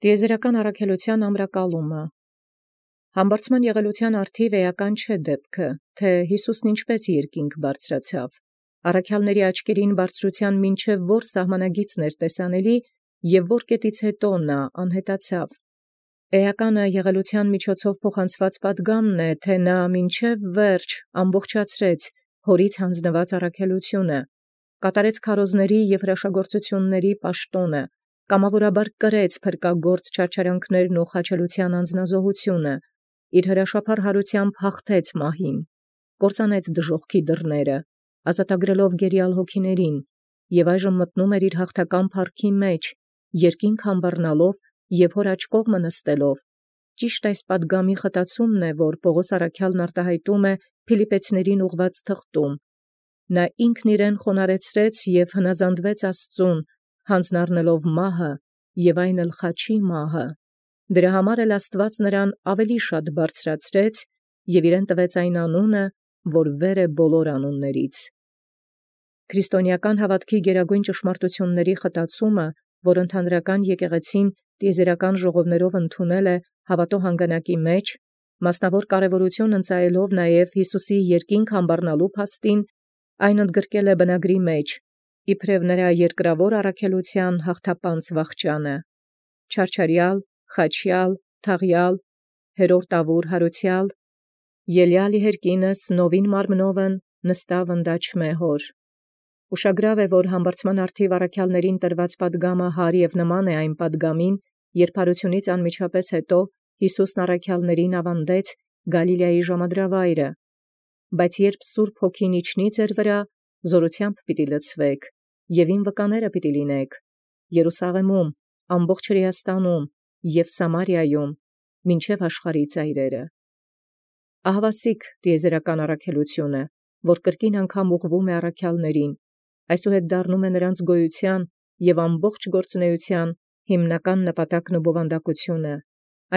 Տիեզերական առաքելութեան ամրակալումը։ Համբարձման եղելութեան արդիվ էական չէ դեպքը, թե Յիսուսն ինչպէս յերկինս բարձրացաւ։ Առաքյալների աչքերին բարձրութեան մինչև որ սահմանագիծն էր տեսանելի, և որ կետից հետո նա անհետացավ։ Էականը եղելութեան միջոցով փոխանցված պատգամն է, թե նա մինչև վերջ ամբողջացրեց հորից յանձնված առաքելութիւնը, կատարեց քարոզների և հրաշագործությունների պաշտոնը, կամավորաբար կրեց փրկագործ չարչարանքներն ու խաչելութեան անձնազոհութիւնը, իր հրաշափառ հարութեամբ հաղթեց մահին, կործանեց դժոխքի դռները, ազատագրելով գերիալ հոգիներին, և այժմ մտնում իր հաղթական փառքի մեջ, երկինք համբառնալով և հոր աջ կողմը նստելով։ Ճիշտ այս պատգամի խտացումն է, որ Պողոս առաքյալն արտահայտում է Փիլիպպեցիներին ուղղված թղթում. նա ինքն իրեն խոնարհեցրեց և հնազանդվեց Աստուծուն, յանձն առնելով մահը և այն էլ խաչի մահը։ Դրա համար էլ Աստուած նրան ավելի շատ բարձրացրեց և իրեն տվեց այն անունը, որ վեր է բոլոր անունաց։ Քրիստոնեական հաւատքի գերագույն ճշմարտութիւնների խտացումը, որ ընդհանրական եկեղեցին տիեզերական ժողովներով ընդունել է հաւատոյ հանգանակի մեջ, մասնավոր կարևորութիւն ընծայելով նաև Յիսուսի երկինք համբառնալու փաստին, այն ընդգրկել է բնագրի մեջ, իբրև նրա երկրաւոր առաքելութեան հաղթապանց վախճանը. չարչարեալ, խաչեալ, թաղեալ, հերրորդավոր յարուցեալ, ելեալ իհերկինս նովին մարմնովն նստաւ ընդաչմէ հոր։ Ուշագրաւ է, որ համբարձման արդիվ առաքյալներին տրված պատգամը հար և նման է այն պատգամին, երբ յարութիւնից անմիջապէս յետո Յիսուսն առաքյալներին աւանդեց Գալիլեայի ժամադրավայրը. բայց երբ Սուրբ Հոգին իջնի ձեր վրա, զօրութեամբ պիտի լցվէք, և իմ վկաները պիտի լինիցք Երուսաղեմում, ամբողջ Հրեաստանում և Սամարիայում, մինչև աշխարհի ծայրերը։ Ահավասիկ տիեզերական առաքելութիւնը, որ կրկին անգամ ուղղվում է առաքյալներին, այսուհետ դառնում է նրանց գոյութեան և ամբողջ գործունեութեան հիմնական նպատակն ու բովանդակութիւնը։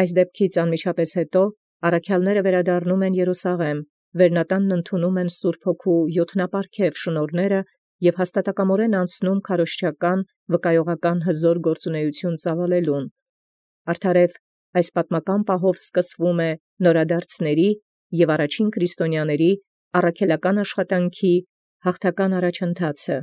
Այս դեպքից անմիջապէս յետո առաքյալները վերադառնում են Երուսաղէմ, վերնատանն ընդունում են Սուրբ Հոգու յոթնապարգև շնորհները և հաստատակամորեն անցնում քարոզչական վկայողական հզոր գործունեութիւն ծաւալելուն։ Արդարև այս պատմական պահով սկսվում է նորադարձների և առաջին քրիստոնյաների առաքելական աշխատանքի հաղթական առաջընթացը։